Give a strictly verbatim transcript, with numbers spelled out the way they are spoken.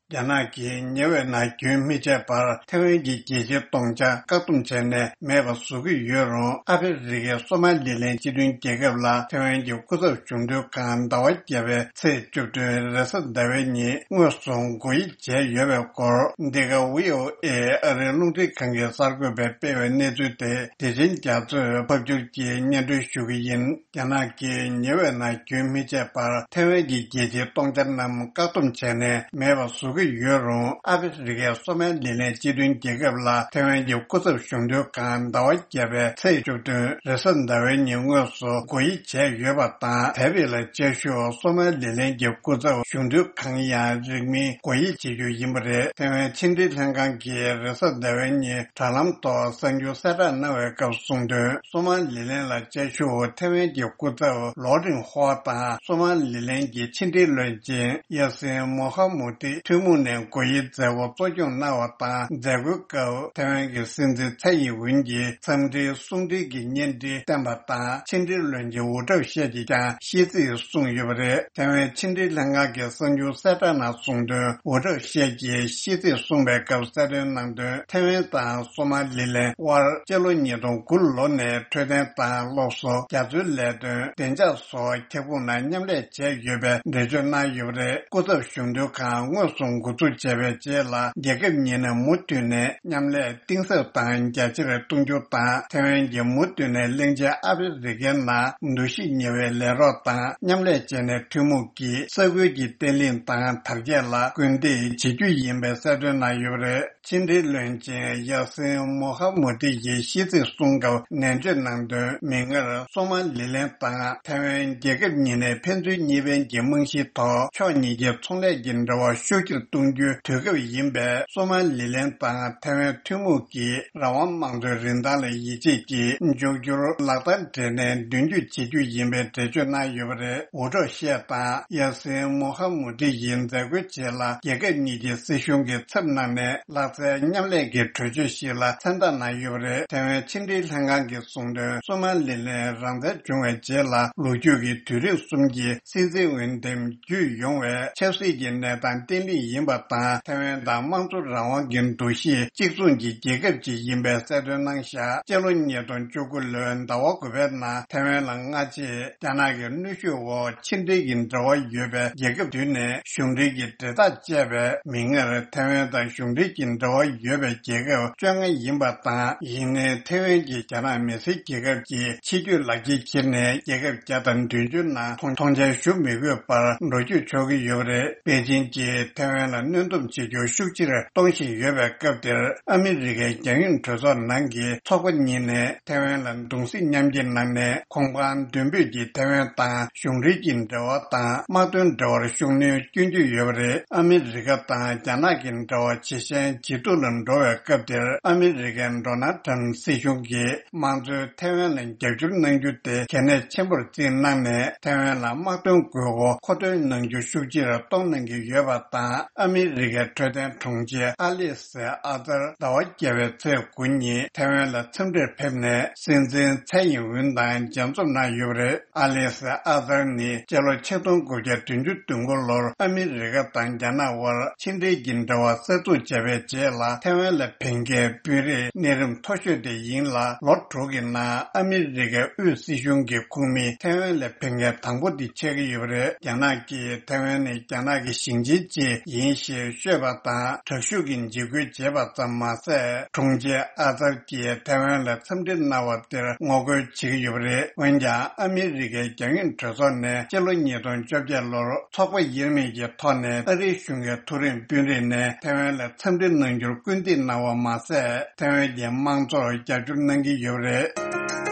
རྒྱ་ནག་གིས་ཉེ་བའི་ནང་རྒྱུན་མི་ཆད་པར་ཐེ་ཝན་གྱི་རྒྱལ་སྤྱིའི་སྟོང་ཆ་བཀག་སྡོམ་བྱས་ནས་མེད་པ་བཟོ་གི་ཡོད་རུང་། ཨ་ཧྥེ་རི་ཁའི་སོ་མ་ལི་ལན་སྤྱི་མཐུན་རྒྱལ་ཁབ་ལ་ཐེ་ཝན་གྱི་སྐུ་ཚབ་གཞུང་དོན་ཁང་ཟླ་བ་བརྒྱད་པའི་ཚེས་བཅུ་བདུན་རེས་གཟའ་ཟླ་བའི་ཉིན་དངོས་སུ་སྒོ་དབྱེ་བྱས་ཡོད་པའི་སྐོར། འདི་ག་ཝི་ཨོ་ཨེ་ཨ་རིའི་རླུང་འཕྲིན་ཁང་གི་གསར་འགོད་པས་སྤེལ་བའི་གནས་ཚུལ་དེ། བདེ་ཆེན་རྒྱ་མཚོས་ཕབ་སྒྱུར་གྱིས་སྙན་སྒྲོན་ཞུ་གི་ཡིན། རྒྱ་ནག་གིས་ཉེ་བའི་ནང་རྒྱུན་མི་ཆད་པར་ཐེ་ཝན་གྱི་རྒྱལ་སྤྱིའི་སྟོང་ཆ་རྣམས་བཀག་སྡོམ་བྱས་ནས་མེད་པ་བཟོ་གི་ཡོད་རུང་། ཨ་ཧྥེ་རི་ཁའི་སོ་མ་ལི་ལན་སྤྱི་མཐུན་རྒྱལ་ཁབ་ལ་ཐེ་ཝན་གྱི་སྐུ་ཚབ་གཞུང་དོན་ཁང་ཟླ་བ་བརྒྱད་པའི་ཚེས་བཅུ་བདུན་རེས་གཟའ་ཟླ་བའི་ཉིན་དངོས་སུ་སྒོ་དབྱེ་བྱས་ཡོད་པ་དང་། དེ་རིང་ལ་བཅའ་བཞུགས་སོ་མ་ལི་ལན་གྱི་སྐུ་ཚབ་གཞུང་དོན་ཁང་ཡང་རིང་མིན་སྒོ་དབྱེ་བྱེད་རྒྱུ་ཡིན་པ་རེད། ཐེ་ཝན་ཕྱི་འབྲེལ་ལྷན་ཁང་གིས་རེས་གཟའ་ཟླ་བའི་ཉིན་དྲ་ལམ་ཐོག་གསར་འགྱུར་གསལ་བསྒྲགས་གནང་བའི་སྐབས་གསུངས་དོན། སོ་མ་ལི་ལན་ལ་བཅའ་བཞུགས་ཐེ་ཝན་གྱི་སྐུ་ཚབ་ལོ་ཀྲིན་ཧྭ་དང་། སོ་མ་ལི་ལན་གྱི་ཕྱི་འབྲེལ་བློན་ཆེན་ཡ་སིན་མོ་ཧ་མུ་ཏི་ཐུན་མོང་ནས་སྒོ་དབྱེའི་མཛད་སྒོ་གཙོ་སྐྱོང་གནང་བ་དང་། མཛད་སྒོའི་སྐབས་ཐེ་ཝན་གྱི་སྲིད་འཛིན་ཚའེ་ཡིན་ཝུན་གྱིས་འཚམས་འདྲིའི་གསུང་འཕྲིན་གྱི་བརྙན་འཕྲིན་བསྟན་པ་དང་། ཕྱི་འབྲེལ་བློན་ཆེན་ཝུ་ཁྲའོ་ཤེ་གྱིས་ཀྱང་ཤིས་ཚིག་གསུངས་ཡོད་པ་རེད། ཐེ་ཝན་ཕྱི་འབྲེལ་ལྷན་ཁང་གི་གསར་འགྱུར་གསལ་བསྒྲགས་ནང་གསུངས་དོན། ཝུ་ཁྲའོ་ཤེ་གྱིས་ཤིས་ཚིག་གསུངས་པའི་སྐབས་གསལ་སྟོན་གནང་དོན། ཐེ་ཝན་དང་སོ་མ་ལི་ལན་དབར་སྤྱི་ལོ་ཉིས་སྟོང་དགུ་ལོ་ནས་འཕྲོད་བསྟེན་དང་སློབ་གསོ། རྒྱ་མཚོའི་ལས་དོན། བདེ་འཇགས་སོགས་ཁྱབ་ཁོངས་ནང་མཉམ་ལས་བྱས་ཡོད་པའི་འགྲེལ་བརྗོད་གནང་ཡོད་པ་རེད། སྐུ་ཚབ་གཞུང་དོན་ཁང་དངོས་སུ་འགོ་འཛུགས་བྱས་པའི་རྗེས་ལ། རྒྱལ་ཁབ་གཉིས་ནས་མུ་མཐུད་ནས་མཉམ་ལས་གཏིང་ཟབ་དང་རྒྱ་ཆེར་གཏོང་རྒྱུ་དང་། ཐེ་ཝན་གྱིས་མུ་མཐུད་ནས་གླིང་ཆེན་ཨ་ཧྥེ་རི་ཁའི་ནང་འདུ་ཤེས་ཉེ་བའི་ལས་རོགས་དང་མཉམ་ལས་བྱས་ནས། ཐུན་མོང་གིས་ས་ཁུལ་གྱི་བརྟན་ལྷིང་དང་དར་རྒྱས་ལ་སྐུལ་འདེད་བྱེད་རྒྱུ་ཡིན་པའི་གསལ་སྟོན་གནང་ཡོད་པ་རེད། ཕྱི་འབྲེལ་བློན་ཆེན་ཡ་སིན་མོ་ཧ་མུ་ཏི་ཡིས་ཤིས་ཚིག་གསུང་སྐབས་ནན་བརྗོད་གནང་དོན། མིག་སྔར་སོ་མ་ལི་ལན་དང་ཐེ་ཝན་རྒྱལ་ཁབ་གཉིས་ནས་ཕན་ཚུན་གཉིས་ཕན་གྱི་རྨང་གཞིའི་ཐོག་ཕྱོགས་གཉིས་ཀྱི་ཚོང་ལས་ཀྱི་འབྲེལ་བ་ཤུགས་ཆེར་གཏོང་རྒྱུའི་དུས་སྐབས་ཡིན་པས། སོ་མ་ལི་ལན་དང་ཐེ་ཝན་ཐུན་མོང་གིས་རང་དབང་དམངས་གཙོའི་རིན་ཐང་ལ་ཡིད་ཆེས་ཀྱིས་འཇོག་རྒྱུར་ལག་བསྟར་སྦྲེལ་ནས་མདུན་སྐྱོད་བྱེད་རྒྱུ་ཡིན་པའི་འགྲེལ་བརྗོད་གནང་ཡོད་པ་རེད། ཝུ་ཁྲའོ་ཤེ་དང་ཡ་སིན་མོ་ཧ་མུ་ཏི་ཡི་མཛད་སྒོའི་རྗེས་ལ། རྒྱལ་ཁབ་གཉིས་ཀྱི་སྲིད་གཞུང་གི་ཚབ་གནང་ནས་ལག་རྩལ་མཉམ་ལས་ཀྱི་གྲོས་ཆོད་ཞིག་ལ་མཚན་རྟགས་གནང་ཡོད་པ་རེད། ཐེ་ཝན་ཕྱི་འབྲེལ་ལྷན་ཁང་གིས་གསུངས་དོན། སོ་མ་ལི་ལན་རང་བཙན་བྱུང་བའི་རྗེས་ལ་ལོ་རྒྱུས་ཀྱི་དུས་རིམ་གསུམ་གྱི་སྲིད་འཛིན་འོས་འདེམས་བརྒྱུད་ཡོང་བའི་ཆབ་སྲིད་ཀྱི་གནས་སྟངས་བརྟན་ལྷིང་ཡིན་པ་དང་། ཐེ་ཝན་དང་དམངས་གཙོ་རང་དབང་གི་འདུ་ཤེས་གཅིག་མཚུངས་ཀྱི་རྒྱལ་ཁབ་ཅིག་ཡིན་པའི་གསལ་སྟོན་གནང་བཞག་སྤྱི་ལོ་ཉིས་སྟོང་བཅུ་དགུ་ལོའི་ཟླ་བ་དགུ་པའི་ནང་ཐེ་ཝན་ལ་སྔ་རྗེས་རྒྱ་ནག་གི་གནོན་ཤུགས་འོག་ཕྱི་འབྲེལ་གྱི་འབྲེལ་བ་ཡོད་པའི་རྒྱལ་ཁབ་བདུན་ནས་གཞུང་འབྲེལ་གྱི་འབྲེལ་ཐག་བཅད་པས། མིག་སྔར་ཐེ་ཝན་དང་གཞུང་འབྲེལ་གྱི་འབྲེལ་བ་ཡོད་པའི་རྒྱལ་ཁབ་བཅོ་ལྔ་ཡིན་པ་དང་། ཡིན་ནའི་ཐེ་ཝན་གྱིས་རྒྱ་ནག་མི་སེར་རྒྱལ་ཁབ་ཀྱི་ཆེས་མཐོའི་ལག་ཁྱེར་ཁྱེར་ནས། རྒྱལ་ཁབ་བརྒྱ་དང་བདུན་ཅུ་ནང་མཐོང་མཐོང་མཆན་ཞུ་མི་དགོས་པར་འགྲོ་སྐྱོད་ཆོག་གི་ཡོད་པ་རེད། པེ་ཅིན་གྱིས་ཐེ་ཝན་ལ་གནོན་སྡོམ་བྱེད་རྒྱུ་ཤུགས་ཆེར་གཏོང་བཞིན་ཡོད་པའི་སྐབས་དེར། ཨ་མི་རི་ཀའི་རྒྱང་ཡོད་གྲོས་ཚོགས་ནང་གི་ཚོགས་པ་གཉིས་ནས་ཐེ་ཝན་ལ་གདུང་སེམས་མཉམ་སྐྱེད་གནང་ནས། གོང་འཕང་མདུན་སྤོས་ཀྱིས་ཐེ་ཝན་དང་གཞུང་འབྲེལ་གྱི་འབྲེལ་བ་དང་། དམག་དོན་འབྲེལ་བར་ཤུགས་སྣོན་སྐྱོན་གྱི་ཡོད་པ་རེད། ཨ་མི་རི་ཀ་དང་རྒྱ་ནག་གི་འབྲེལ་བ་ཇེ་ཞན་ཇེ་སྡུག་ལ་འགྲོ་བའི་སྐབས་དེར། ཨ་མི་རི་ཀའི་ཌོ་ནལ་ཊམ་སྲིད་གཞུང་གིས་དམངས་གཙོའི་ཐེ་ཝན་ལ་རྒྱབ་སྐྱོར་གནང་རྒྱུ་དེ་གལ་གནད་ཆེན་པོར་བརྩིས་གནང་ནས། ཐེ་ཝན་ལ་དམག་དོན་དགོས་མཁོ་མཁོ་འདོན་གནང་རྒྱུ་ཤུགས་ཆེར་གཏོང་གནང་གི་ཡོད་པ་དང་། ཨ་མི་རི་ཀའི་འཕྲོད་བསྟེན་དྲུང་ཆེ་ཨ་ལི་སི་ཨ་ཙར་ཟླ་བ་བརྒྱད་པའི་ཚེས་དགུ་ཉིན་ཐེ་ཝན་ལ་འཚམས་འདྲིར་ཕེབས་ནས། སྲིད་འཛིན་ཚའེ་ཡིན་ཝུན་དང་མཇལ་འཛོམས་གནང་ཡོད་པ་རེད། ཨ་ལི་སི་ཨ་ཙར་ནི་སྤྱི་ལོ་ཆིག་སྟོང་དགུ་བརྒྱ་བདུན་ཅུ་དོན་དགུ་ལོར་ཨ་མི་རི་ཀ་དང་རྒྱ་ནག་དབར་ཕྱི་འབྲེལ་གྱི་འབྲེལ་བ་གསར་འཛུགས་བྱས་པའི་རྗེས་ལ། ཐའེ་ཝན་ལ་ཕེབས་མཁན་དཔོན་རིགས་གནས་རིམ་མཐོ་ཤོས་དེ་ཡིན་ལ། ལོ་དྲུག་གི་ནང་ཨ་མི་རི་ཀའི་དབུས་སྲིད་གཞུང་གི་ཁོངས་མི་ཐའེ་ཝན་ལ་ཕེབས་མཁན་དང་པོ་དེ་ཆགས་ཀྱི་ཡོད་པ་རེད། རྒྱ་ནག་གིས་ཐའེ་ཝན་ནི་རྒྱ་ནག་གི་ཞིང་ཆེན་ཅིག་ཡིན་ཞེས་ཤོད་པ་དང་། དྲག་ཤུགས་ཀྱི་འཇིགས་སྐུལ་བྱས་པ་ཙམ་མ་ཟད། དྲུང་ཆེ་ཨ་ཙར་གྱིས་ཐའེ་ཝན་ལ་འཚམས་འདྲི་གནང་བ་དེར་ངོ་རྒོལ་བྱེད་ཀྱི་ཡོད་པ་རེད། འོན་ཀྱང་། ཨ་མི་རི་ཀའི་རྒྱང་ཡོད་གྲོས་ཚོགས་ནས་སྤྱི་ལོ་ཉིས་སྟོང་བཅོ་བརྒྱད་ལོར་ཚོགས་པ་དབྱེར་མེད་ཀྱི་ཐོག་ནས་ཨ་རིའི་གཞུང་གི་མཐོ་རིམ་དཔོན་རིགས་ནས་ཐའེ་ཝན་ལ་འཚམས་འདྲི་གནང་རྒྱུར་སྐུལ་འདེད་གནང་བ་མ་ཟད། ཐའེ་ཝན་གྱི་དམངས་གཙོར་རྒྱབ་སྐྱོར་གནང་གི་ཡོད་པ་རེད།